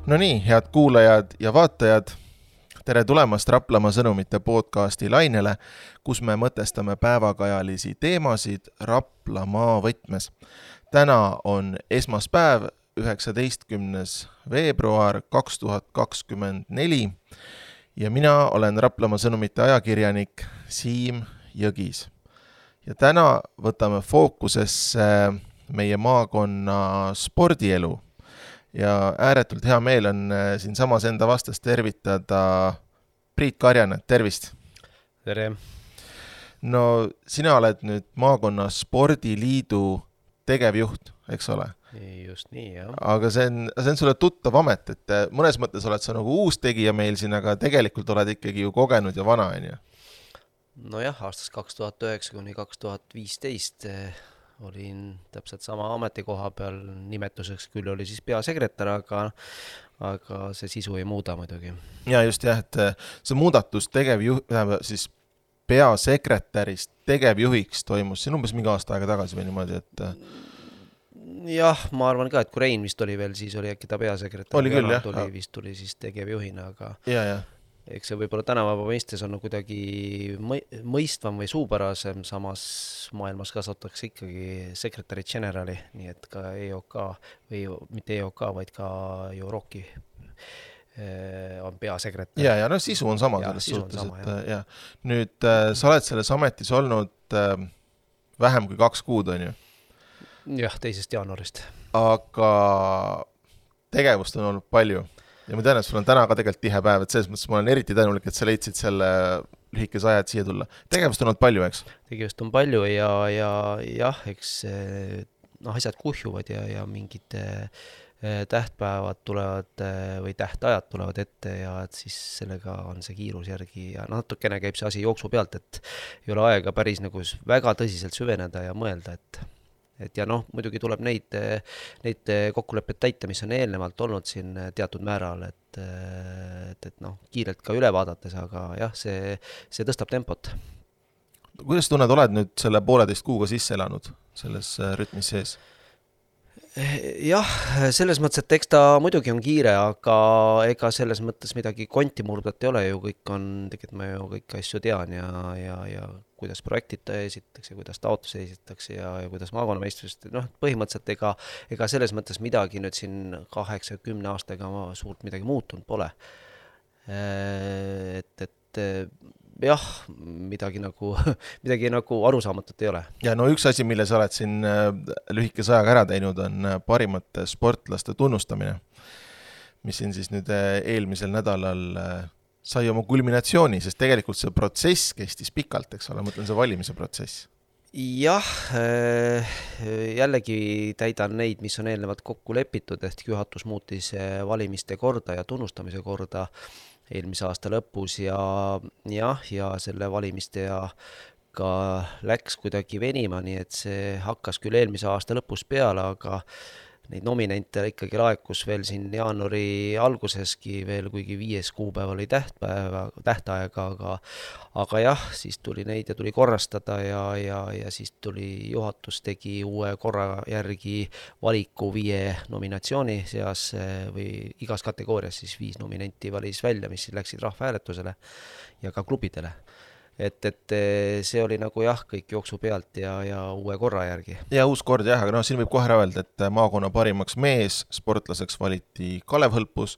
No nii, head kuulajad ja vaatajad, tere tulemast Raplamaa sõnumite podcasti lainele, kus me mõtestame päevakajalisi teemasid Raplamaa võtmes. Täna on esmaspäev, 19. veebruar 2024 ja mina olen Raplamaa sõnumite ajakirjanik Siim Jõgis. Ja täna võtame fookusesse meie maakonna spordielu. Ja ääretult hea meel on siin samas enda vastas tervitada Priit Karjanen, tervist! Tere! No sina oled nüüd maakonna spordiliidu tegevjuht, eks ole? Just nii, jah. Aga see on sulle tuttav amet, et mõnes mõttes oled sa nagu uus tegija meil siin, aga tegelikult oled ikkagi ju kogenud ja vana, on ju? No jah, aastast 2009 kuni 2015 olin täpselt sama ametikoha peal, nimetuseks küll oli siis peasekretär, aga see sisu ei muuda muidugi. Ja just jah, et see muudatus siis peasekretärist tegevjuhiks toimus siin umbes mingi aasta aega tagasi või niimoodi, et... Jah, ma arvan ka, et kui Rein vist oli veel, siis oli äkki ta peasekretär. Oli küll, jah. Tuli siis tegevjuhina, aga... Ja. Eks see võib-olla tänavaba mõistes on kuidagi mõistvam või suupärasem, samas maailmas kasutatakse ikkagi sekretäri generali, nii et ka EOK või mitte EOK, vaid ka Euroki on peasekretär. Ja no sisu on sama selles suhtes, et ja. Nüüd sa oled selles ametis olnud vähem kui 2 kuud, on ju? Jah, 2. jaanuarist. Aga tegevust on olnud palju. Ja ma tean, et sul on täna ka tegelikult tihe päev, et selles mõttes ma olen eriti tänulik, et sa leidsid selle lühikese aja, et siia tulla. Tegevust on olnud palju, eks? Tegevust on palju ja jah, eks asjad kuhjuvad ja mingid tähtpäevad tulevad või tähtajad tulevad ette ja et siis sellega on see kiirus järgi ja natukene käib see asi jooksu pealt, et ei ole aega päris nagu väga tõsiselt süveneda ja mõelda, et ja muidugi tuleb neid kokkuleppeid täita, mis on eelnevalt olnud siin teatud määral, et kiirelt ka üle vaadates, aga jah, see tõstab tempot. Kuidas tunned, oled nüüd selle 1,5 kuuga sisse elanud selles rütmis sees? Jah, selles mõttes, et eks ta muidugi on kiire, aga ega selles mõttes midagi konti murdat ei ole ju, kõik on, tegelikult ma ju kõiki asju tean ja kuidas projektid esitatakse, kuidas taotluse esitatakse ja kuidas maakonnameistrust, põhimõtteliselt ega selles mõttes midagi nüüd siin 8-10 aastaga suurt midagi muutunud pole. Et jah, midagi nagu arusaamatut ei ole. Ja no üks asi, mille sa oled siin lühikese ajaga ära teinud, on parimate sportlaste tunnustamine, mis siin siis nüüd eelmisel nädalal sai oma kulminatsiooni, sest tegelikult see protsess kestis pikalt, eks ole, mõtlen see valimise protsess. Jah, jällegi täidan neid, mis on eelnevalt kokku lepitud, ehk juhatus muutis valimiste korda ja tunnustamise korda eelmise aasta lõpus ja selle valimiste ja ka läks kuidagi venima, nii et see hakkas küll eelmise aasta lõpus peale, aga neid nominente ikkagi laekus veel siin jaanuari alguseski veel, kuigi 5. kuupäev oli tähtaega, aga jah, siis tuli neid ja tuli korrastada ja siis tuli juhatus tegi uue korra järgi valiku 5 nominatsiooni seas või igas kategoorias siis 5 nominenti valis välja, mis läksid rahvahääletusele ja ka klubidele. Et see oli nagu jah, kõik jooksu pealt ja uue korra järgi. Ja uus kord jah, aga siin võib kohe öelda, et maakonna parimaks mees sportlaseks valiti Kalev Hõlpus,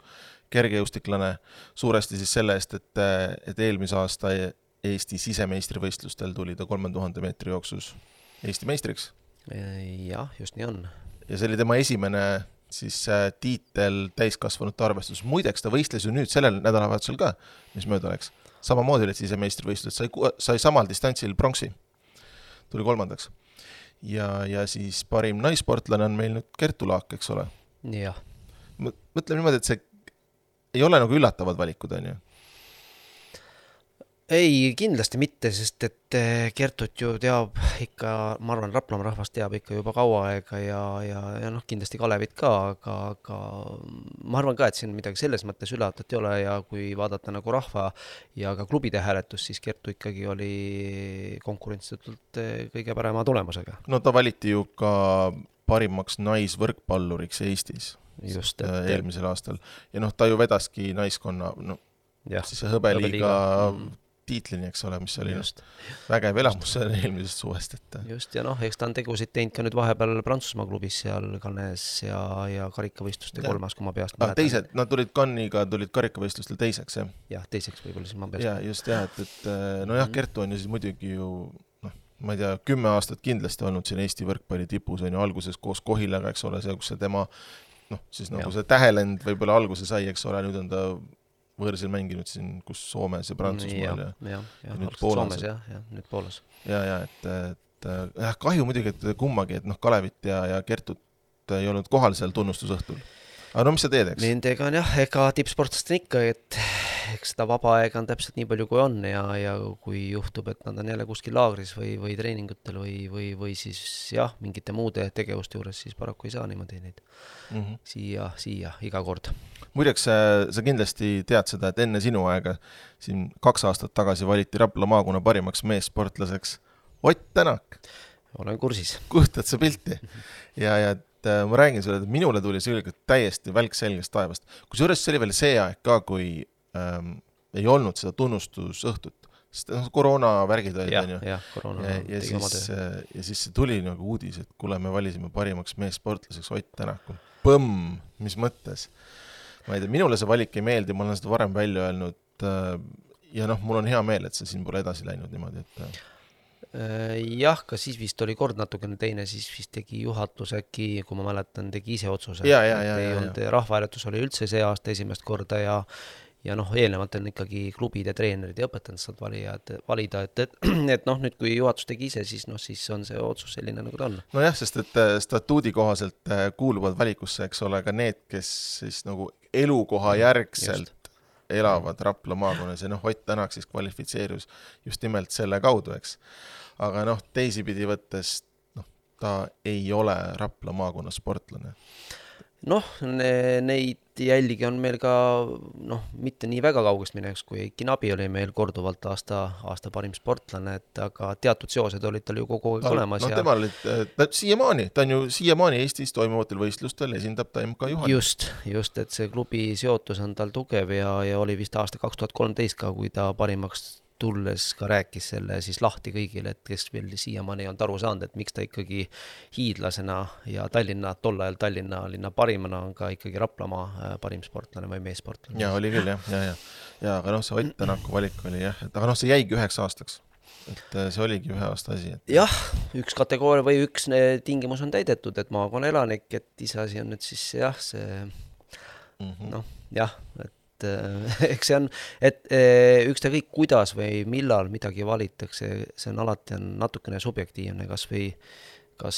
kergejõustiklane, suuresti siis selle eest, et eelmise aasta Eesti sisemeistrivõistlustel tuli ta 3000 meetri jooksus Eesti meistriks. Jah, just nii on. Ja see oli tema esimene siis tiitel täiskasvanute arvestus. Muideks ta võistles ju nüüd sellel nädalavahetusel ka, mis mööda oleks. Samamoodi olid sisemeistrivõistlused, sai samal distantsil pronksi, tuli 3. Ja siis parim naisportlane on meil nüüd Kertu Laak, eks ole? Jah. Mõtleme niimoodi, et see ei ole nagu üllatavad valikud, on ju? Ei, kindlasti mitte, sest et Kertut ju teab ikka, ma arvan, Raplamaa rahvas teab ikka juba kaua aega ja kindlasti Kalevit ka, aga ma arvan ka, et siin midagi selles mõttes üllatat ei ole ja kui vaadata nagu rahva ja ka klubide hääletust, siis Kertu ikkagi oli konkurentsitult kõige parema tulemusega. No ta valiti ju ka parimaks naisvõrkpalluriks Eestis. just, eelmisel aastal. Ja noh, ta ju vedaski naiskonna, no jah, siis see hõbeliiga tiitlini, eks ole, mis oli just vägev elamus eelmisest suvest. Just, ja noh, eks ta on tegusid teinud ka nüüd vahepeal Prantsusmaa klubis seal Cannes ja karikavõistluste kolmas, kui ma peast mäletan. Teised, nad tulid Cannes'iga, tulid karikavõistlustel teiseks, jah? Jah, teiseks võib-olla siis ma peast. Ja just jah, et nojah, Kertu on ju siis muidugi ju, noh, ma ei tea, 10 aastat kindlasti olnud siin Eesti võrkpalli tipus, on ju alguses koos Kohilaga, eks ole, see, kus see tema, noh, siis nagu see tähelend võib-olla alguse sai, eks ole, nüüd on ta võõrsil mänginud siin, kus Soomes ja Prantsusmaal ja nüüd Poolas. Nüüd Poolas. Ja, et kahju muidugi, et kummagi, et noh, Kalevit ja Kertut ei olnud kohal seal tunnustusõhtul. Aga no mis sa teed, eks? Nendega on jah, ega tippsportlast on ikka, et eks seda vaba aega on täpselt nii palju, kui on ja kui juhtub, et nad on jälle kuskil laagris või treeningutel või siis jah, mingite muude tegevuste juures, siis paraku ei saa niimoodi neid siia iga kord. Muideks, sa kindlasti tead seda, et enne sinu aega siin 2 aastat tagasi valiti Rapla maakonna parimaks meessportlaseks Ott Tänak. Olen kursis. Kustad sa pilti. Ja et ma räägin sulle, et minule tuli see täiesti välk selgest taevast. Kusjuures see oli veel see aeg ka, kui ei olnud seda tunnustusõhtut. Sest koroonavärgid olid, ja siis see tuli nagu uudis, et kuule, me valisime parimaks meessportlaseks Ott Tänak. Põmm, mis mõttes? Ma ei tea, minule see valik ei meeldi, ma olen seda varem välja öelnud ja noh, mul on hea meel, et see siin pole edasi läinud niimoodi, et jah, ka siis vist oli kord natukene teine, siis vist tegi juhatus äkki, kui ma mäletan, tegi ise otsuse. Rahvahääletus oli üldse see aasta esimest korda ja noh, eelnevalt on ikkagi klubid ja treenerid ja õpetajad saad valida, et noh, nüüd kui juhatus tegi ise, siis noh, siis on see otsus selline, nagu ta on. No jah, sest et statuudi kohaselt kuuluvad valikusse, eks ole, ka need, kes siis nagu elukoha järgselt elavad Rapla maakonnas ja noh, Ott Tänak siis kvalifitseerus just nimelt selle kaudu, eks. Aga noh, teisipidi võttes, noh, ta ei ole Rapla maakonna sportlane. Noh, neid jälgi on meil ka, noh, mitte nii väga kaugest mineks, kui Eiki Nabi oli meil korduvalt aasta parim sportlane, et aga teatud seosed olid tal ju kogu aeg olemas. No tema oli siiamaani, ta on ju siiamaani Eestis toimuvatel võistlustel, esindab ta MK Juhan. Just, et see klubi seotus on tal tugev ja oli vist aasta 2013 ka, kui ta parimaks tulles ka rääkis selle siis lahti kõigile, et kes veel siiamaani ei olnud aru saanud, et miks ta ikkagi hiidlasena ja tol ajal Tallinna linna parimana on ka ikkagi Raplamaa parim sportlane või meessportlane. Ja oli küll, jah. Ja aga noh, see Ott Tänaku valik oli jah, et aga noh, see jäigi 9 aastaks. Et see oligi 1 aasta asi. Et jah, üks kategooria või üks tingimus on täidetud, et maakonna elanik, et iseasi on nüüd siis jah, see noh, jah, et eks see on, et üksta kõik kuidas või millal midagi valitakse, see on alati natukene subjektiivne, kas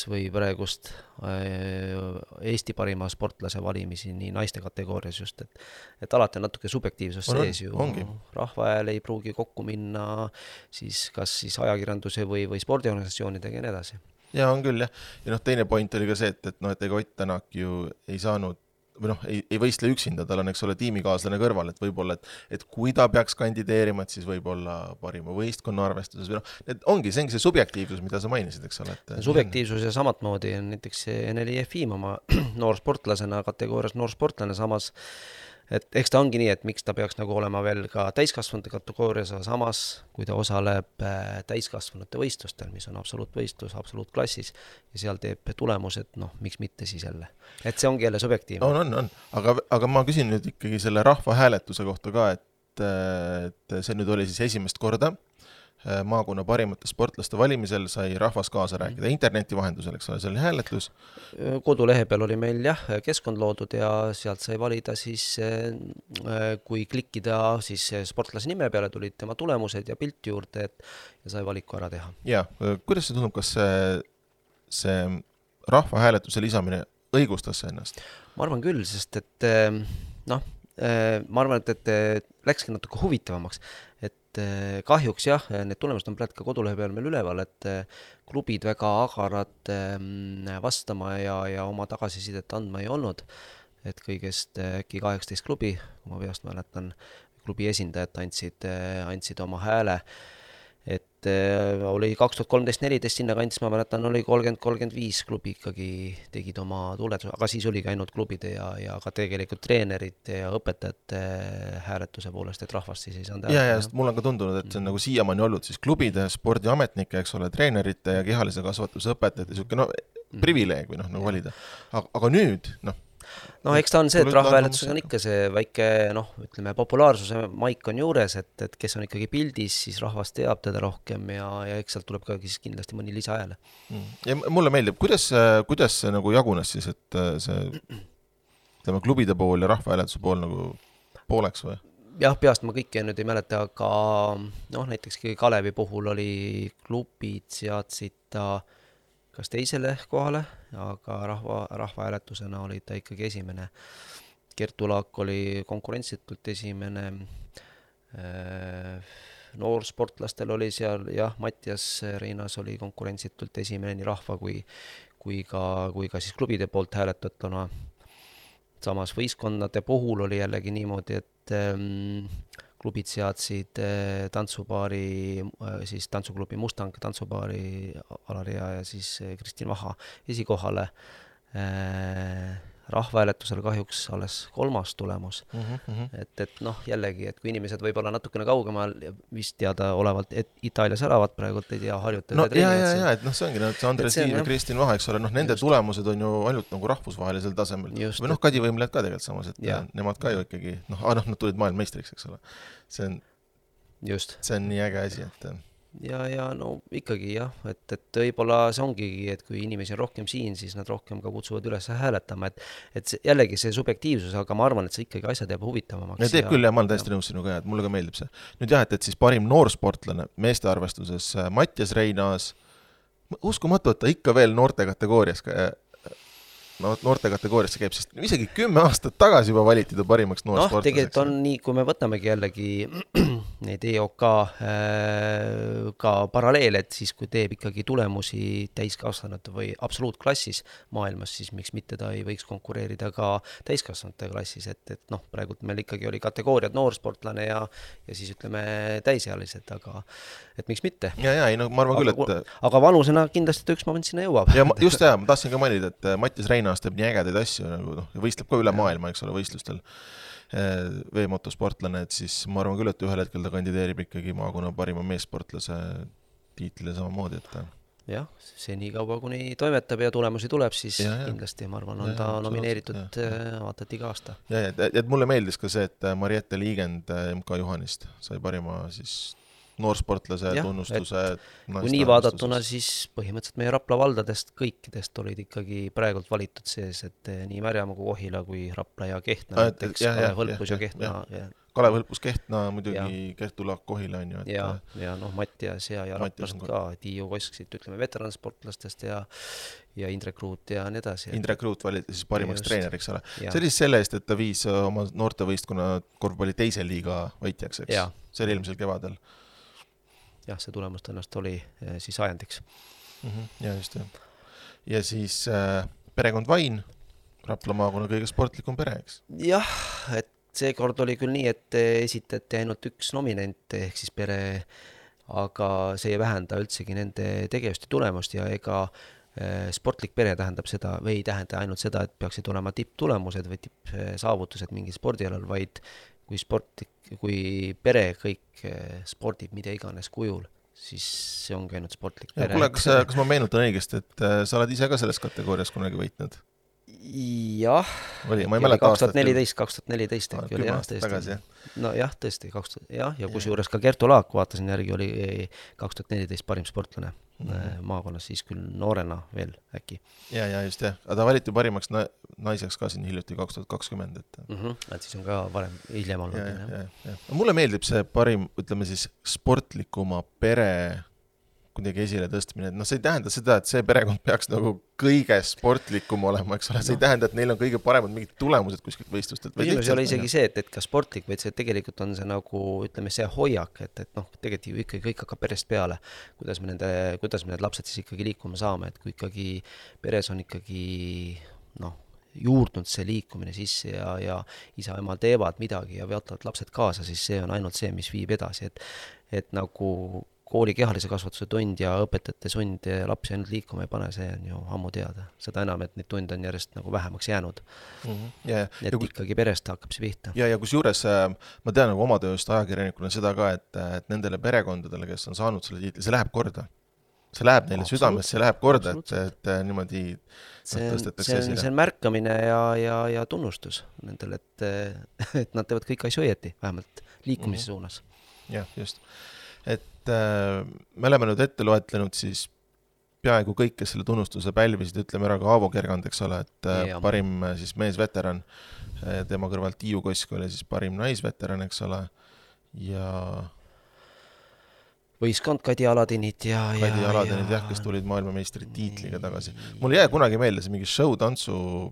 või praegust Eesti parima sportlase valimisi nii naiste kategoorias just, et alati on natuke subjektiivsus sees ju. Rahvahääl ei pruugi kokku minna siis kas siis ajakirjanduse või spordiorganisatsioonidega ja nii edasi. Ja on küll jah. Ja noh, teine point oli ka see, et noh, et ega Ott Tänak ju ei saanud või noh, ei võistle üksinda, tal on, eks ole, tiimikaaslane kõrval, et võib-olla, et kui ta peaks kandideerima, et siis võib-olla parima võistkonna arvestuses või noh, see ongi see subjektiivsus, mida sa mainisid, eks ole. Subjektiivsus ja samat moodi on näiteks Eneli Jefim oma noorsportlasena kategoorias noorsportlane, samas et eks ta ongi nii, et miks ta peaks nagu olema veel ka täiskasvanute kategoorias, samas kui ta osaleb täiskasvanute võistlustel, mis on absoluutvõistlus, absoluutklassis ja seal teeb tulemused, noh, miks mitte siis jälle. Et see ongi jälle subjektiivne. On. Aga ma küsin nüüd ikkagi selle rahvahääletuse kohta ka, et see nüüd oli siis esimest korda maakonna parimate sportlaste valimisel sai rahvas kaasa rääkida interneti vahendusel, eks ole, see oli hääletus. Kodulehe peal oli meil jah, keskkond loodud ja sealt sai valida siis, kui klikkida siis sportlase nime peale, tulid tema tulemused ja pilt juurde, ja sai valiku ära teha. Ja, kuidas see tundub, kas see rahvahääletuse lisamine õigustas ennast? Ma arvan küll, sest et noh, ma arvan, et läkski natuke huvitavamaks, et kahjuks jah, need tulemused on praegu ka kodulehe peal meil üleval, et klubid väga agarad vastama ja oma tagasisidet andma ei olnud, et kõigest äkki 18 klubi, kui ma peast mäletan, klubi esindajad andsid oma hääle, et oli 2013-14 sinna kandis, ma mäletan, oli 30-35 klubi ikkagi tegid oma tuletuse, aga siis oligi ainult klubide ja ka tegelikult treenerite ja õpetajate hääletuse poolest, et rahvast siis ei saanud ja sest mul on ka tundunud, et see on nagu siiamaani olnud siis klubide, spordiametnike, eks ole, treenerite ja kehalise kasvatuse õpetajate niisugune privileeg või nagu valida. Aga nüüd, eks ta on see, et rahvahääletusega on ikka see väike, ütleme, populaarsuse maik on juures, et kes on ikkagi pildis, siis rahvas teab teda rohkem ja eks sealt tuleb ka siis kindlasti mõni lisahääle. Ja mulle meeldib, kuidas see nagu jagunes siis, et see, ütleme, klubide pool ja rahvahääletuse pool nagu pooleks või? Jah, peast ma kõike nüüd ei mäleta, aga näiteks Kalevi puhul oli klubid seadsid ta kas teisele kohale, aga rahvahääletusena oli ta ikkagi esimene. Kertu Laak oli konkurentsitult esimene, noorsportlastel oli seal, Mattias Reinas oli konkurentsitult esimene nii rahva kui ka siis klubide poolt hääletatuna. Samas võistkondade puhul oli jällegi niimoodi, et klubid seadsid tantsupaari, siis tantsuklubi Mustang tantsupaari Alaria ja siis Kristin Vaha esikohale. Rahvahääletusel kahjuks alles 3. tulemus. Et jällegi, et kui inimesed võib olla natukene kaugemal vist teada olevalt, et Itaalias elavad praegu, ei tea, harjutada. Ja, et see ongi, see Andres Tiiv ja Kristin Vaha, eks ole, nende tulemused on ju ainult nagu rahvusvahelisel tasemel. Või Kadi Võimlejad ka tegelikult samas, et nemad ka ju ikkagi, nad tulid maailmameistriks, eks ole. See on nii äge asi, et ja ikkagi jah, et võib-olla see ongi, et kui inimesi on rohkem siin, siis nad rohkem ka kutsuvad üles hääletama, et jällegi see subjektiivsus, aga ma arvan, et see ikkagi asjad jääb huvitavamaks. Ja teeb küll, ja ma olen täiesti nõus sinuga, et mulle ka meeldib see. Nüüd jah, et siis parim noorsportlane meeste arvestuses Mattias Reinas, uskumatu, et ta ikka veel noorte kategoorias käib, sest isegi 10 aastat tagasi juba valiti ta parimaks noorsportlaseks. Tegelikult on nii, kui me võtamegi jällegi neid EOK ka paralleel, et siis kui teeb ikkagi tulemusi täiskasvanute või absoluutklassis maailmas, siis miks mitte ta ei võiks konkureerida ka täiskasvanute klassis, et praegu meil ikkagi oli kategooriad noorsportlane ja siis ütleme täisealised, aga et miks mitte. Ma arvan küll, et aga vanusena kindlasti ta üks moment sinna jõuab. Ja just ma tahtsin ka mainida, et Mattias Reinas teeb nii ägedaid asju, võistleb ka üle maailma, eks ole, võistlustel veemotosportlane, et siis ma arvan küll, et ühel hetkel ta kandideerib ikkagi maakonna parima meessportlase tiitlile samamoodi, et jah, see nii kaua, kuni toimetab ja tulemusi tuleb, siis kindlasti, ma arvan, on ta nomineeritud vaatad iga aasta. Et mulle meeldis ka see, et Mariette Liigend MK Juhanist sai parima siis noorsportlase tunnustuse. Kui nii vaadatuna, siis põhimõtteliselt meie Rapla valdadest kõikidest olid ikkagi praegult valitud sees, et nii Märjamaa kui Kohila kui Rapla ja Kehtna, näiteks Kalev Hõlpus ja Kehtna. Kalev Hõlpus, Kehtna, muidugi Kertu Laak, Kohila on ju. Ja Mattias ja Raplased ka, Tiiu Kosksid, ütleme veteransportlastest ja Indrek Ruut ja nii edasi. Indrek Ruut valiti siis parimaks treeneriks, ole. See oli selle eest, et ta viis oma noortevõistkonna korvpalli teise liiga võitjaks, eks? See oli eelmisel kevadel. Jah, see tulemus tõenäoliselt oli siis ajendiks. Ja just, ja siis perekond Vain, Rapla maakonna kõige sportlikum pere, eks? Jah, et seekord oli küll nii, et esitati ainult üks nominent ehk siis pere, aga see ei vähenda üldsegi nende tegevuste tulemust ja ega sportlik pere tähendab seda või ei tähenda ainult seda, et peaksid olema tipptulemused või tippsaavutused mingil spordialal, vaid kui pere kõik spordib mida iganes kujul, siis see ongi ainult sportlik pere. Kuule, kas ma meenutan õigesti, et sa oled ise ka selles kategoorias kunagi võitnud? Jah, 2014 äkki oli jah tõesti. No jah, tõesti, ja kusjuures ka Kertu Laak, vaatasin järgi, oli 2014 parim sportlane maakonnas, siis küll noorena veel äkki. Ja just jah, aga ta valiti parimaks naiseks ka siin hiljuti 2020. Et siis on ka varem hiljem olnud. Mulle meeldib see parim, ütleme siis sportlikuma pere kuidagi esile tõstmine, et see ei tähenda seda, et see perekond peaks nagu kõige sportlikum olema, eks ole, see ei tähenda, et neil on kõige paremad mingid tulemused kuskilt võistlustelt. Küsimus oli isegi see, et ka sportlik, vaid see tegelikult on see nagu, ütleme, see hoiak, et tegelikult ikkagi kõik hakkab perest peale, kuidas me need lapsed siis ikkagi liikuma saame, et kui ikkagi peres on ikkagi juurdnud see liikumine sisse ja isa-ema teevad midagi ja veotavad lapsed kaasa, siis see on ainult see, mis viib edasi, et nagu kooli kehalise kasvatuse tund ja õpetajate sund lapsi ainult liikuma ei pane, see on ju ammu teada. Seda enam, et neid tunde on järjest nagu vähemaks jäänud. Et ikkagi perest hakkab see pihta. Ja kus juures ma tean nagu oma tööst ajakirjanikuna seda ka, et nendele perekondadele, kes on saanud selle tiitli, see läheb korda. See läheb neile südamesse, see läheb korda, et niimoodi tõstetakse esile. See on märkamine ja tunnustus nendele, et nad teevad kõik asju õieti, vähemalt liikumise suunas. Jah, just. Et me oleme nüüd ette loetlenud siis peaaegu kõik, kes selle tunnustuse pälvisid, ütleme ära ka Aavo Kergand, eks ole, et parim siis meesveteran, tema kõrvalt Tiiu Kosk oli siis parim naisveteran, eks ole, ja võistkond Kadi Aladinid Kadi Aladinid, kes tulid maailmameistri tiitliga tagasi. Mul jäi kunagi meelde see mingi show-tantsu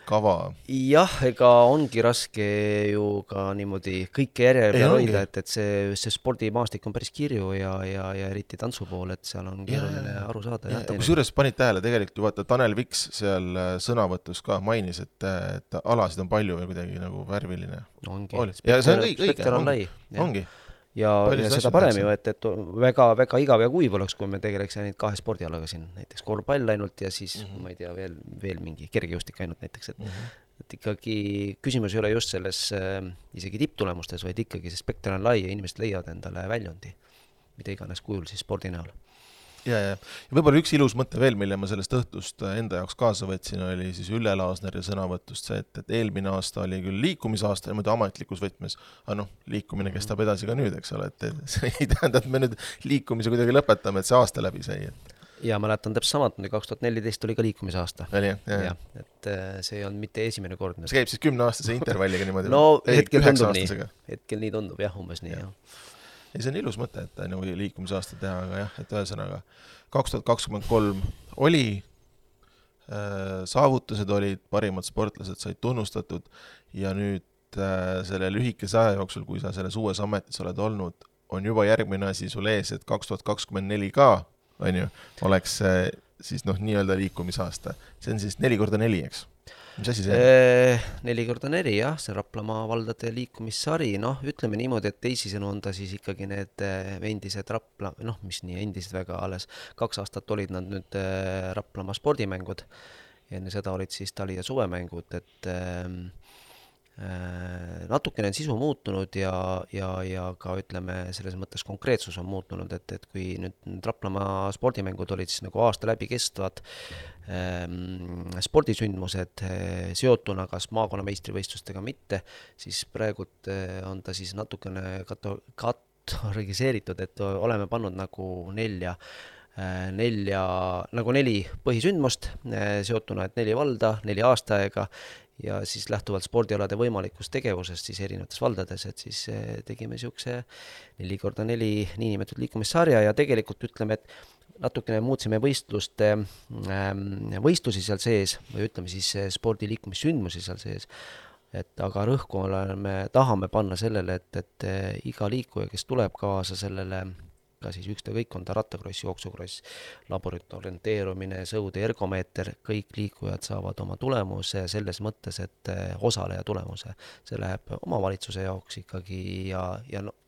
kava. Jah, ega ongi raske ju ka niimoodi kõike järje peal hoida, et see spordimaastik on päris kirju ja eriti tantsu pool, et seal on keeruline aru saada. Kus juures panid tähele, tegelikult ju vaata Tanel Viks seal sõnavõtus ka mainis, et alasid on palju ja kuidagi nagu värviline. Ongi. Ja see on õige, ongi. Ja seda parem ju, et väga igav ja kuiv oleks, kui me tegeleks ainult 2 spordialaga siin, näiteks korvpall ainult ja siis, ma ei tea, veel mingi kergejõustik ainult näiteks, et ikkagi küsimus ei ole just selles isegi tipptulemustes, vaid ikkagi see spekter on lai ja inimesed leiavad endale väljundi, mida iganes kujul siis spordi näol. Ja võib-olla üks ilus mõte veel, mille ma sellest õhtust enda jaoks kaasa võtsin, oli siis Ülle Laasneri sõnavõtust see, et eelmine aasta oli küll liikumisaasta ja muidu ametlikus võtmes, aga liikumine kestab edasi ka nüüd, eks ole, et see ei tähenda, et me nüüd liikumise kuidagi lõpetame, et see aasta läbi sai. Ja mäletan täpselt samad, 2014 oli ka liikumisaasta. Ja, et see on mitte esimene kord. See käib siis 10-aastase intervalliga niimoodi? No hetkel tundub nii. Hetkel nii tundub, umbes nii, Ja see on ilus mõte, et nagu liikumisaasta teha, aga jah, et ühesõnaga 2023 oli, saavutused olid, parimad sportlased said tunnustatud ja nüüd selle lühikese aja jooksul, kui sa selles uues ametis oled olnud, on juba järgmine asi sul ees, et 2024 ka, on ju, oleks siis nii-öelda liikumisaasta. See on siis 4x4, eks? Mis asi see on? 4x4, jah, see Raplamaa valdade liikumissari, ütleme niimoodi, et teisisõnu on ta siis ikkagi need endised mis nii endised väga alles 2 aastat olid nad nüüd Raplamaa spordimängud ja enne seda olid siis tali- ja suvemängud, et natukene on sisu muutunud ja ka ütleme selles mõttes konkreetsus on muutunud, et kui nüüd Raplamaa spordimängud olid siis nagu aasta läbi kestvad spordisündmused seotuna kas maakonna meistrivõistlustega mitte, siis praegult on ta siis natukene kategoriseeritud, et oleme pannud nagu 4 põhisündmust seotuna, et 4 valda, 4 aastaaega ja siis lähtuvalt spordialade võimalikust tegevusest siis erinevates valdades, et siis tegime niisuguse 4x4 niinimetatud liikumissarja ja tegelikult ütleme, et natukene muutsime võistlusi seal sees või ütleme siis spordiliikumissündmusi seal sees, et aga rõhku tahame panna sellele, et iga liikuja, kes tuleb kaasa sellele, ka siis ükskõik on ta rattakross, jooksukross, laborit orienteerumine, sõude, ergomeeter, kõik liikujad saavad oma tulemuse selles mõttes, et osaleja tulemuse. See läheb omavalitsuse jaoks ikkagi ja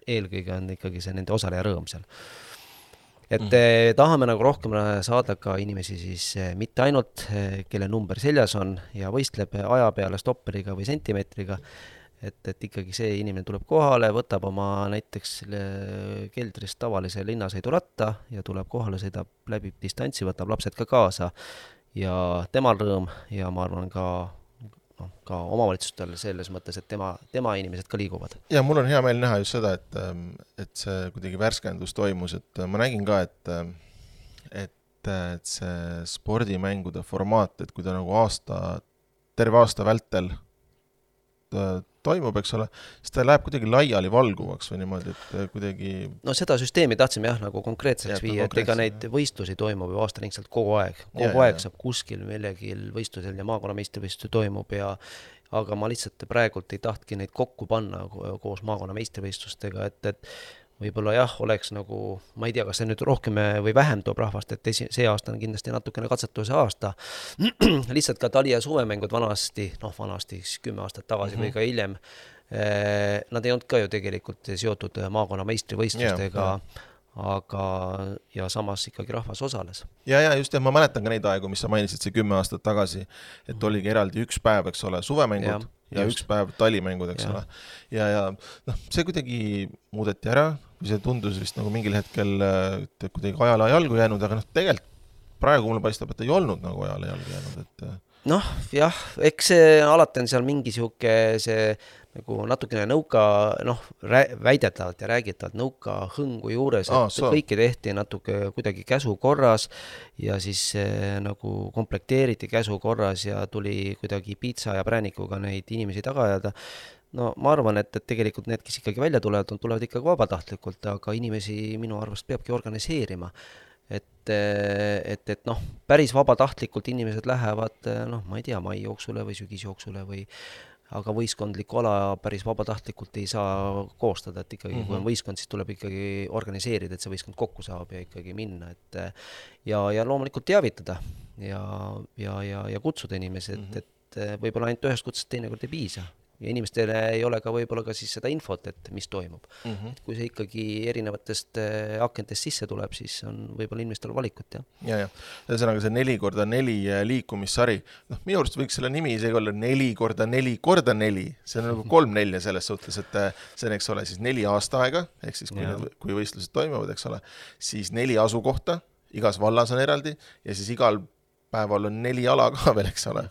eelkõige on ikkagi see nende osaleja rõõm seal. Et tahame nagu rohkem saada ka inimesi siis mitte ainult, kelle number seljas on ja võistleb aja peale stopperiga või sentimeetriga, et ikkagi see inimene tuleb kohale, võtab oma näiteks keldrist tavalise linnasõiduratta ja tuleb kohale, sõidab läbi distantsi, võtab lapsed ka kaasa ja temal rõõm ja ma arvan ka omavalitsustel selles mõttes, et tema inimesed ka liiguvad. Ja mul on hea meel näha just seda, et see kuidagi värskendus toimus, et ma nägin ka, et see spordimängude formaat, et kui ta nagu terve aasta vältel toimub, eks ole, siis ta läheb kuidagi laiali valguvaks või niimoodi, et kuidagi... No seda süsteemi tahtsime nagu konkreetseks viia, et ega neid võistlusi toimub ju aastaringselt kogu aeg. Kogu aeg saab kuskil millegil võistlusel ja maakonna meistrivõistlusi toimub aga ma lihtsalt praegult ei tahtki neid kokku panna koos maakonna meistrivõistlustega, et võib-olla oleks nagu, ma ei tea, kas see nüüd rohkem või vähem toob rahvast, et see aasta on kindlasti natukene katsetuse aasta. Lihtsalt ka tali- ja suvemängud vanasti 10 aastat tagasi või ka hiljem, nad ei olnud ka ju tegelikult seotud maakonna meistrivõistlustega, ja samas ikkagi rahvas osales. Ja just, ma mäletan ka neid aegu, mis sa mainisid see 10 aastat tagasi, et oligi eraldi üks päev, eks ole, suvemängud ja just. Üks päev talimängud, eks ole. Ja see kuidagi muudeti ära, kui see tundus vist nagu mingil hetkel kuidagi ajale jalgu jäänud, aga tegelikult praegu mulle paistab, et ei olnud nagu ajale jalgu jäänud, et jah, eks see alati on seal mingi sihuke see nagu natukene nõuka, väidetavalt ja räägitavalt nõuka hõngu juures, et kõike tehti natuke kuidagi käsu korras ja siis nagu komplekteeriti käsu korras ja tuli kuidagi piitsa ja präänikuga neid inimesi taga ajada. No ma arvan, et tegelikult need, kes ikkagi välja tulevad ikkagi vabatahtlikult, aga inimesi minu arvast peabki organiseerima. Et päris vabatahtlikult inimesed lähevad, ma ei tea, mai jooksule või sügisjooksule aga võistkondlikku ala päris vabatahtlikult ei saa koostada, et ikkagi kui on võistkond, siis tuleb ikkagi organiseerida, et see võistkond kokku saab ja ikkagi minna, ja loomulikult teavitada ja kutsuda inimesed, et võib-olla ainult ühest kutsest teinekord ei piisa. Ja inimestele ei ole ka võib-olla ka siis seda infot, et mis toimub. Et kui see ikkagi erinevatest akentest sisse tuleb, siis on võib-olla inimestel valikut, Ja. Ühesõnaga see 4x4 liikumissari, minu arust võiks selle nimi isegi olla 4x4x4, see on nagu 3 4 selles suhtes, et see on, eks ole, siis 4 aastaaega, ehk siis kui võistlused toimuvad, eks ole, siis 4 asukohta, igas vallas on eraldi ja siis igal päeval on 4 ala ka veel, eks ole.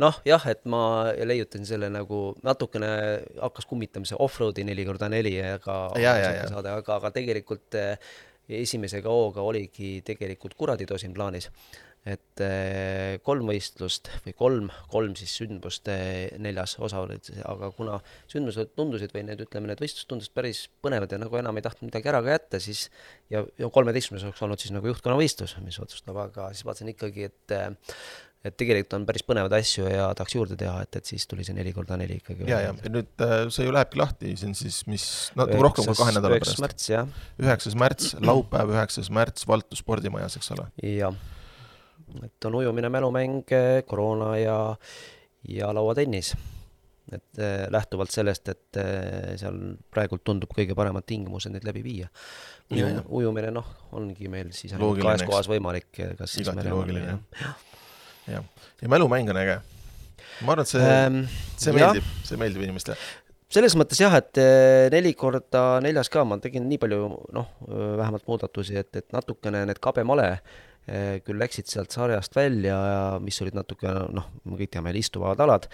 Et ma leiutan selle nagu natukene hakkas kummitamise off-roadi 4x4 aga tegelikult esimese hooga oligi tegelikult Kuraditosin plaanis, et 3 võistlust või 3 siis sündmust 4 osa olid, aga kuna sündmused tundusid või need võistlused tundusid päris põnevad ja nagu enam ei tahtnud midagi ära ka jätta, siis ja 13 oleks olnud siis nagu juhtkonna võistlus, mis otsustab, aga siis vaatasin ikkagi, et tegelikult on päris põnevad asju ja tahaks juurde teha, et siis tuli see 4x4 ikkagi. Ja nüüd see ju lähebki lahti, see on siis mis rohkem kui 2 nädala pärast. 9. märts, jah. 9. märts, laupäev 9. märts Valtu spordimajas, eks ole? Jah, et on ujumine, mälumäng, koroona ja lauatennis. Et lähtuvalt sellest, et seal praegult tundub kõige paremad tingimused neid läbi viia. Ujumine ongi meil siis kahes kohas võimalik. Igati loogiline, ja mälumäng on äge. Ma arvan, et see meeldib inimestele. Selles mõttes jah, et 4x4 ka ma tegin nii palju vähemalt muudatusi, et natukene need kabemale küll läksid sealt sarjast välja, mis olid natuke, me kõik teame, istuvad alad.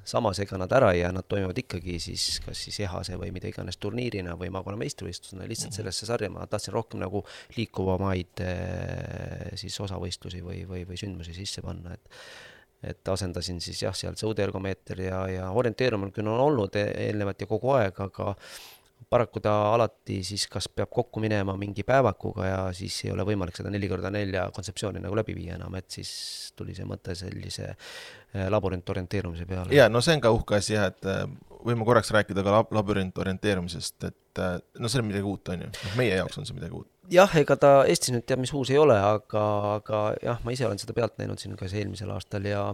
Samas ega nad ära ja nad toimuvad ikkagi siis kas siis ehase või mida iganes turniirina või maakonna meistrivõistlusena. Lihtsalt sellesse sarja ma tahtsin rohkem nagu liikuvamaid siis osavõistlusi või sündmusi sisse panna. Et asendasin siis seal sõudeergomeeter ja orienteerumine küll on olnud eelnevat ja kogu aeg, aga paraku ta alati siis kas peab kokku minema mingi päevakuga ja siis ei ole võimalik seda 4x4 kontseptsiooni nagu läbi viia enam, et siis tuli see mõte sellise laborantorienteerumise peale. Ja, see on ka uhke asi, et võime korraks rääkida ka laborantorienteerumisest, et see on midagi uut, on ju. Meie jaoks on see midagi uut. Jah, ega ta Eestis nüüd teab, mis uus ei ole, aga jah, ma ise olen seda pealt näinud siin ka eelmisel aastal ja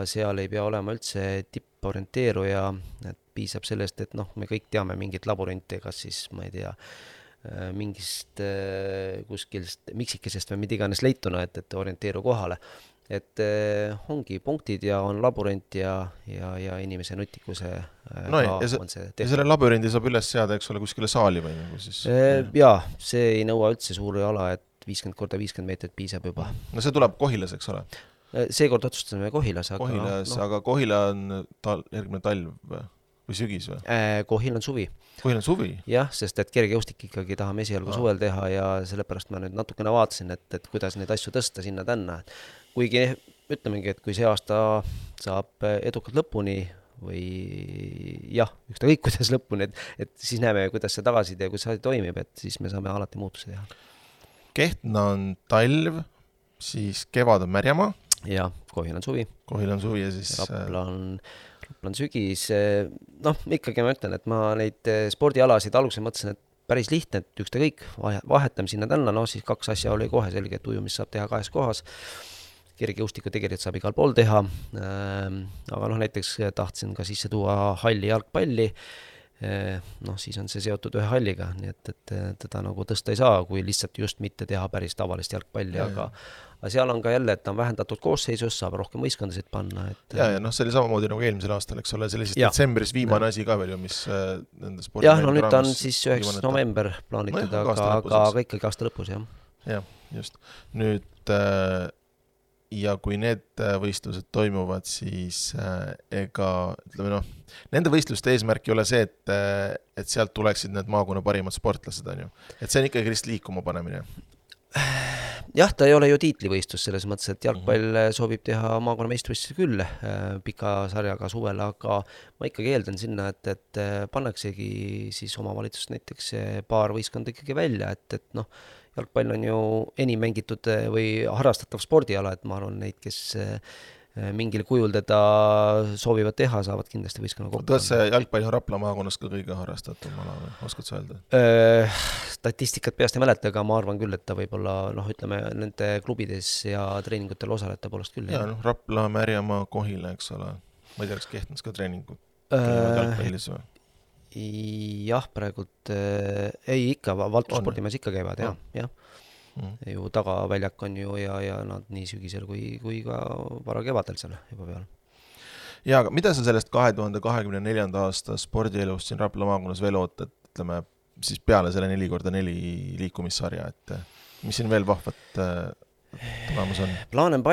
seal ei pea olema üldse tipporienteeruja, et piisab sellest, et me kõik teame mingit laboranti, kas siis, ma ei tea, mingist kuskilst miksikesest või mida iganes leituna, et orienteeru kohale. Et ongi punktid ja on labürint ja inimese nutikuse on see tehtud. Ja selle labürindi saab üles seada, eks ole, kuskile saali või nagu siis? Jaa, see ei nõua üldse suuri ala, et 50x50 meetrit piisab juba. No see tuleb Kohilas, eks ole? Seekord otsustasime Kohilas. Aga Kohila on järgmine talv või sügis või? Kohil on suvi. Kohil on suvi? Jah, sest et kergejoustik ikkagi tahame esialgu suvel teha ja sellepärast ma nüüd natukene vaatasin, et kuidas neid asju tõsta sinna-tänna. Kuigi ütlemegi, et kui see aasta saab edukalt lõpuni või jah, ükskõik kuidas lõpuni, et siis näeme, kuidas see tagasiside ja kuidas see toimib, et siis me saame alati muutusi teha. Kehtna on talv, siis kevad on Märjamaa. Ja, Kohil on suvi. Kohil on suvi ja siis... Rapla on sügis. Ikkagi ma ütlen, et ma neid spordialasid alguses mõtlesin, et päris lihtne, et ükskõik vahetame sinna tänna, siis 2 asja oli kohe selge, et ujumist saab teha 2 kohas. Kergejõustiku tegelikult saab igal pool teha, aga näiteks tahtsin ka sisse tuua halli jalgpalli, noh, siis on see seotud ühe halliga, nii et teda nagu tõsta ei saa, kui lihtsalt just mitte teha päris tavalist jalgpalli, aga seal on ka jälle, et ta on vähendatud koosseisus, saab rohkem võistkondasid panna. Ja noh, see oli samamoodi nagu eelmisel aastal, eks ole, see oli siis detsembris viimane asi ka veel ju, mis nende spordi jah, no nüüd ta on siis 9. november plaanitud, aga ikkagi aasta lõpus, jah. Jah, just. Nüüd ja kui need võistlused toimuvad, siis ega, ütleme noh, nende võistluste eesmärk ei ole see, et sealt tuleksid need maakonna parimad sportlased, on ju. Et see on ikkagi lihtsalt liikuma panemine. Jah, ta ei ole ju tiitlivõistlus selles mõttes, et jalgpall soovib teha maakonna meistrivõistlusi küll pika sarjaga suvel, aga ma ikkagi eeldan sinna, et pannaksegi siis omavalitsust näiteks paar võistkonda ikkagi välja, et noh, jalgpall on ju enim mängitud või harrastatav spordiala, et ma arvan neid, kes mingil kujul teda soovivad teha, saavad kindlasti võistkonna kokku. Kas see jalgpall on Rapla maakonnas ka kõige harrastatum ala, oskad sa öelda? Statistikat peast ei mäleta, aga ma arvan küll, et ta võib-olla, noh, ütleme, nende klubides ja treeningutel osaleta poolest küll. Ja, noh, Rapla, Märjamaa, Kohila, eks ole. Ma ei tea, kas Kehtnas ka treeningud jalgpallis või? Jah, praegult ei ikka, Valturspordimees ikka käivad, jah. Ju tagaväljak on ju ja nad nii sügisel kui ka vara kevadel seal juba peal. Ja, aga mida sa sellest 2024. aasta spordielust siin Rapla maakonnas veel ootad, ütleme, siis peale selle 4x4 liikumissarja, et mis siin veel vahvat tulemus on? Plaane on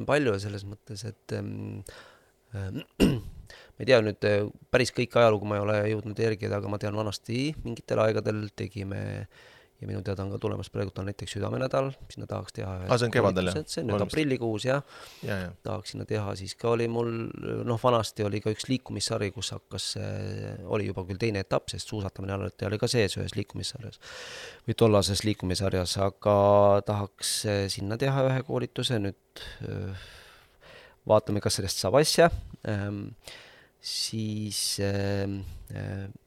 palju selles mõttes, et ma ei tea nüüd päris kõik ajalugu ma ei ole jõudnud järgida, aga ma tean vanasti mingitel aegadel tegime ja minu teada on ka tulemas praegu on näiteks südamenädal, sinna tahaks teha see on kevadel, jah? See on nüüd aprillikuus, jah. Tahaks sinna teha, siis ka oli mul, noh, vanasti oli ka üks liikumissari, kus hakkas, oli juba küll teine etapp, sest suusatamine oli ka sees ühes liikumissarjas või tollases liikumissarjas, aga tahaks sinna teha ühe koolituse, nüüd vaatame, kas sellest saab asja. Siis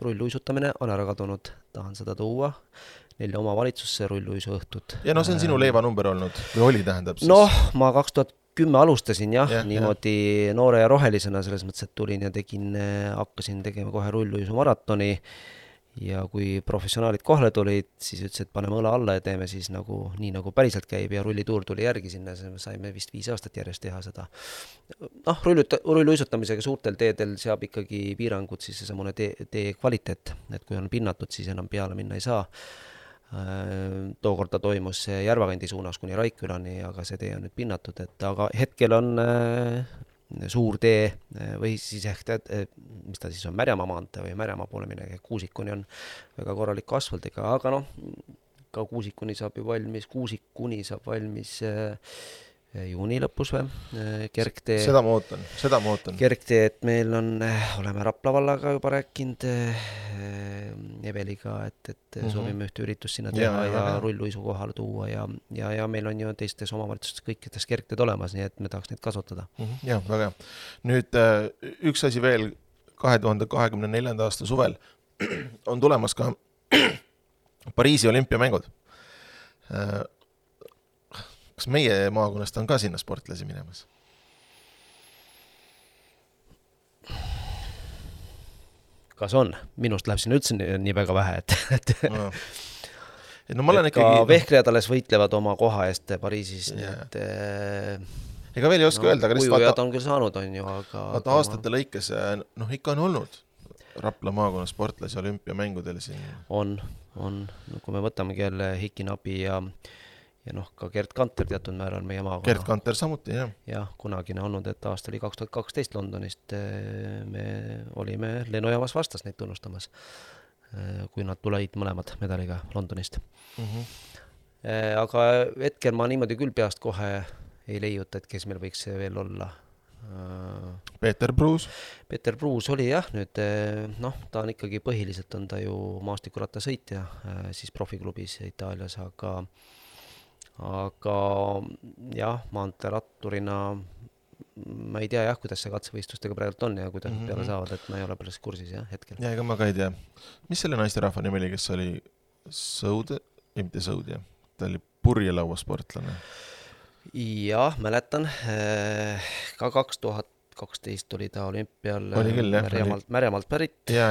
rulluisutamine on ära kadunud, tahan seda tuua 4 omavalitsusse rulluisu õhtut. Ja no see on sinu leivanumber olnud, või oli tähendab siis? Noh, ma 2010 alustasin niimoodi noore ja rohelisena, selles mõttes, et tulin ja hakkasin tegema kohe rulluisu maratoni ja kui professionaalid kohale tulid, siis ütles, et paneme õla alla ja teeme siis nii nagu päriselt käib ja rullituur tuli järgi sinna, saime vist 5 aastat järjest teha seda. Noh, rulluisutamisega suurtel teedel seab ikkagi piirangud siis seesamune tee kvaliteet, et kui on pinnatud, siis enam peale minna ei saa. Tookord ta toimus Järvakandi suunas kuni Raikkülani, aga see tee on nüüd pinnatud, aga hetkel on suur tee või siis mis ta siis on, Märjamaa maantee või Märjamaa poole minegi, Kuusikuni on väga korralik asfaldiga, aga noh, ka Kuusikuni saab valmis juuni lõpus või, kergtee. Seda ma ootan. Kergtee, et meil on, oleme Rapla vallaga juba rääkinud Eveliga, et soovime ühte üritust sinna teha ja rulluisu kohale tuua ja meil on ju teistes omavalitsustes kõikides kergteed olemas, nii et me tahaks neid kasutada. Jah, väga hea. Nüüd üks asi veel 2024. aasta suvel on tulemas ka Pariisi olümpiamängud. Kas meie maakonnast on ka sinna sportlasi minemas? Kas on? Minust läheb sinna üldse nii väga vähe, et no ma olen ikkagi... Vehklejad alles võitlevad oma koha eest Pariisis, nii et ega veel ei oska öelda, aga ujujad on küll saanud, on ju, aga aastate lõikes, noh, ikka on olnud Rapla maakonna sportlasi olümpiamängudel siin. On. No, kui me võtamegi jälle Hikinabi ja noh, ka Gert Kanter teatud määral meie maakonna. Gert Kanter samuti, jah. Jah, kunagine olnud, et aasta oli 2012 Londonist. Me olime lennujaamas vastas neid tunnustamas, kui nad tulid mõlemad medaliga Londonist. Aga hetkel ma niimoodi küll peast kohe ei leiuta, et kes meil võiks veel olla. Peeter Pruus oli jah, nüüd noh, ta on ikkagi põhiliselt on ta ju maastikurattasõitja siis profiklubis Itaalias, aga jah, maanteeratturina ma ei tea jah, kuidas see katsevõistlustega praegult on ja kuidas peale saavad, et ma ei ole päris kursis jah, hetkel. Ja ega ma ka ei tea. Mis selle naisterahva nimi oli, kes oli mitte Sõud, jah? Ta oli purjelauasportlane. Jah, mäletan ka 2000 2012 oli ta olümpial Oli küll, jah, Märjamaalt pärit. Ja,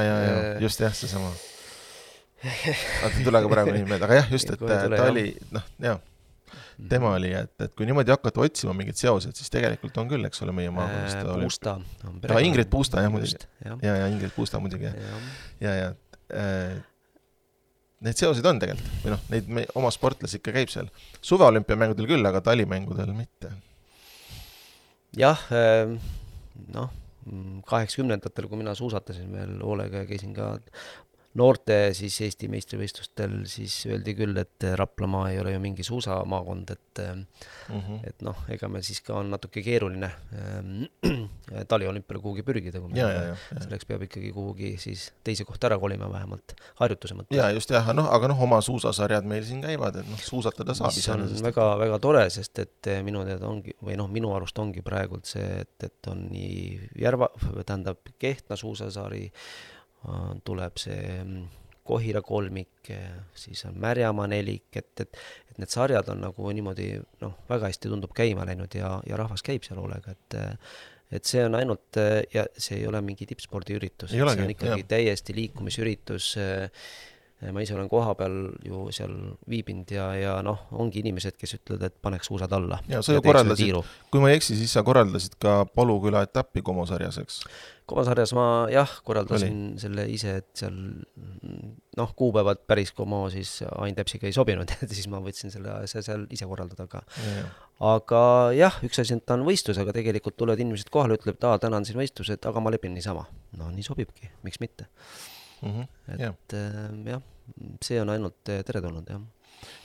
just jah, see sama. Aga tule ka praegu nii meelde, aga jah, just, et ta oli, noh, jah, tema oli, et kui niimoodi hakata otsima mingid seosed, siis tegelikult on küll, eks ole, meie maakonnast. Puusta. Ingrid Puusta, jah, muidugi. Ja Ingrid Puusta muidugi. Ja need seosid on tegelikult, või noh, neid oma sportlas ikka käib seal. Suveolümpiamängudel küll, aga talimängudel mitte. Jah, noh, 80-ndatel, kui mina suusatasin veel hoolega ja käisin ka noorte siis Eesti meistrivõistlustel, siis öeldi küll, et Raplamaa ei ole ju mingi suusamaakond, et noh, ega meil siis ka on natuke keeruline taliolümpiale kuhugi pürgida, kui selleks peab ikkagi kuhugi siis teise kohta ära kolima vähemalt harjutuse mõttes. Ja just jah, aga oma suusasarjad meil siin käivad, et suusatada saab. See on väga, väga tore, sest et minu teada ongi, või noh, minu arust ongi praegult see, et on nii tähendab Kehtna suusasari, tuleb see Kohira kolmik, siis on Märjamaa nelik, et need sarjad on nagu niimoodi, noh, väga hästi tundub käima läinud ja rahvas käib seal hoolega, et see on ainult, ja see ei ole mingi tippspordi üritus, see on ikkagi täiesti liikumisüritus. Ma ise olen koha peal ju seal viibinud ja noh, ongi inimesed, kes ütlevad, et paneks suusad alla. Ja sa ju korraldasid, kui ma ei eksi, siis sa korraldasid ka Paluküla etappi Komosarjas, eks? Komosarjas ma korraldasin selle ise, et seal noh, kuupäevad päris Komo siis Ain Täpsiga ei sobinud, et siis ma võtsin selle seal ise korraldada. Aga jah, üks asi, et ta on võistlus, aga tegelikult tulevad inimesed kohale, ütleb, et täna on siin võistlused, aga ma lepin niisama. No nii sobibki, miks mitte. Et jah, see on ainult teretulnud, jah.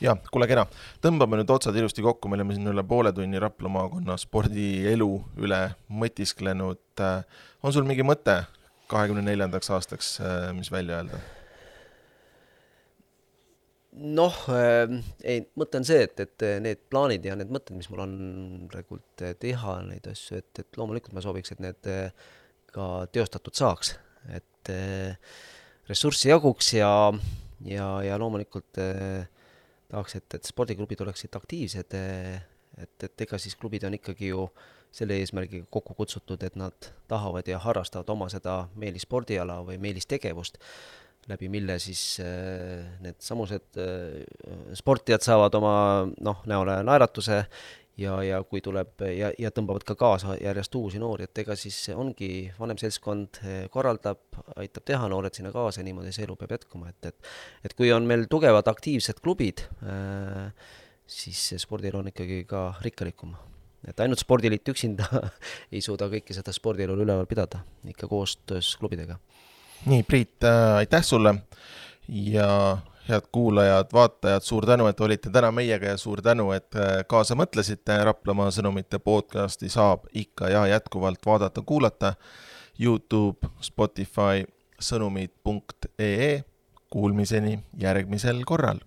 Ja, kuule kena. Tõmbame nüüd otsad ilusti kokku, me oleme siin üle poole tunni Rapla maakonna spordielu üle mõtisklenud. On sul mingi mõte 24. aastaks, mis välja öelda? Noh, mõte on see, et need plaanid ja need mõtted, mis mul on praegult teha neid asju, et loomulikult ma sooviks, et need ka teostatud saaks, et ressurssi jaguks ja loomulikult tahaks, et spordiklubid oleksid aktiivsed, et ega siis klubid on ikkagi ju selle eesmärgiga kokku kutsutud, et nad tahavad ja harrastavad oma seda meelispordiala või meelistegevust, läbi mille siis need samused sportijad saavad oma näole naeratuse ja kui tuleb ja tõmbavad ka kaasa järjest uusi noori, et ega siis ongi vanem seltskond korraldab, aitab teha noored sinna kaasa, niimoodi see elu peab jätkuma, et kui on meil tugevad aktiivsed klubid, siis spordil on ikkagi ka rikkalikum. Et ainult spordiliit üksinda ei suuda kõiki seda spordielu üleval pidada, ikka koostöös klubidega. Nii, Priit, aitäh sulle ja head kuulajad, vaatajad, suur tänu, et olite täna meiega ja suur tänu, et kaasa mõtlesite. Raplamaa sõnumite podcasti saab ikka ja jätkuvalt vaadata, kuulata YouTube, Spotify, sõnumid.ee. Kuulmiseni järgmisel korral.